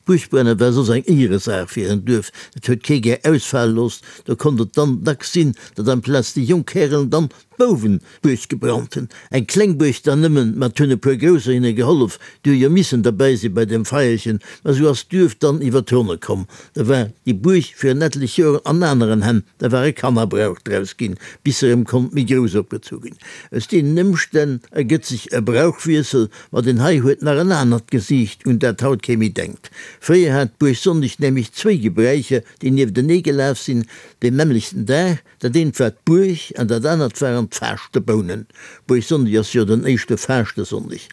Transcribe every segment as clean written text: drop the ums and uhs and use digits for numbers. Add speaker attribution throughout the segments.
Speaker 1: D'Buergbrenne war soss eng Éieresaach fir en Duerf, et huet kee gär ausfale looss. Do konnt et dann dacks sinn, datt amplaz déi jonk Härelen dann d'Bouwen d'Buerg gebrannt hunn. Eng kleng Buerg dann nëmmen, ma 't hunn e puer Grousser hinne gehollef, déi hu jo missen derbäi si bei deem Feierchen. Ma sou ass d'Duerf dann iwwer d'Ronne komm. Da war déi Buerg fir en etlech Joren an aneren Hänn, da war e Kannerbrauch draus ginn, bis se erëm konnt méi grouss opgezu ginn. Aus deenen Ëmstänn ergëtt sech e Brauchwiessel, ma deen hei huet nach en anert Gesiicht, un dat haut kee méi denkt. Fréier hat d'Buergsonndeg nämlech zwéi Gebräicher, déi nieftenee gelaf sinn, deen nämmlechten Dag, Dat eent war d'Buerg an dat anert waren d'Faaschtebounen. Buergsonndeg ass jo den éischte Faaschtesonndeg.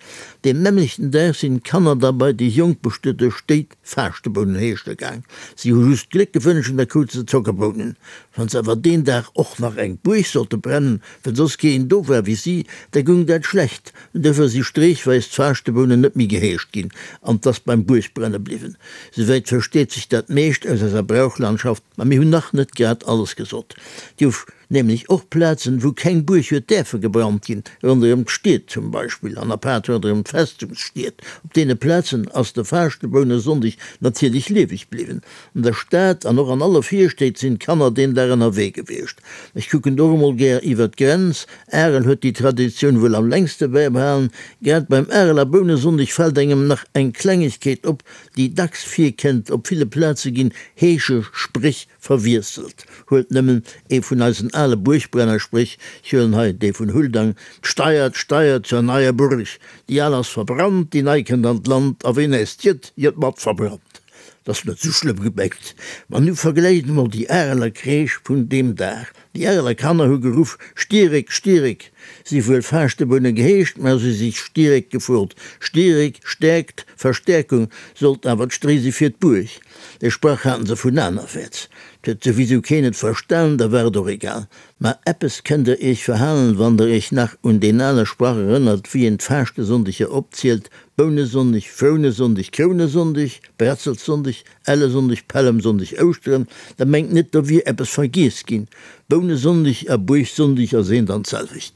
Speaker 1: Deen nämmlechten Dag sinn d'Kanner da bei déi jonk bestuete Stéit Faaschtebounen heeschte gaang. Si hu just Gléck gewënscht an da krute se Zockerbounen. Wann se awer deen Dag och nach eng Buerg sollte brennen, well soss keen do war wéi si, da goung dat schlecht. Duerfir si streechweis d'Faaschtebounen net méi geheescht ginn an 't ass beim Buergbrenne bliwwen. Souwäit versteet sech dat meescht aus eiser Brauchlandschaft. Mä mir hunn nach net grad alles gesot. Et gouf nämlech och Plazen, wou keng Buerg huet däerfe gebrannt ginn, ronderëm d'Stied zum Beispill, an apaart ronderëm d'Festungsstied. Op deene Plazen ass de Faaschtebounesonndeg natierlech lieweg bliwwen. An der Stad an och an alle Virstéit sinn d'Kanner deen Dag ënnerwee gewiescht. Ech kucken do och emol gär iwwer d'Grenz. Arel huet déi Traditioun wuel am längste bäibehalen. Grad beim Areler Bounesonndeg fält engem nach eng Klengegkeet op, déi dacks virkënnt, op ville Plaze ginn Heeschespréch verwiesselt. Huelt nëmmen ee vun eisen ale Buergbrennerspréch, ech huelen hei dee vun Huldang, D'Steier, d'Steier zur neier Burg, déi al ass verbrannt, déi nei kënnt an d'Land, a ween äis jëtt, jëtt mat verbrannt. 't ass net sou schlëmm gemengt. Ma nu vergläicht emol déi Areler Kreesch vun deem Dag. Déi Areler Kanner hu geruff, Stierek, Stierek! Si wuel Faaschtebunne geheescht, mä si si Stierek gefrot. Stierek, Stäerkt, Verstäerkung, sollt awer d'Stréi si fir d'Buerg. Dee Sprach haten se vun anerwäerts. 't huet souwisou keen et verstanen, da war et och egal. Mä eppes kënnt der iech verhalen, wann der iech nach un deen ale Sprach erënnert, wéi een d'Faaschtesonndeger opzielt, Bounesonndeg, Frounesonndeg, Krounesonndeg, Bretzelsonndeg, Ellesonndeg, Pällemsonndeg, Ouschteren, da mengt net do wier eppes vergiess ginn. Bounesonndeg a Buergsonndeg ass eent an d'selwecht.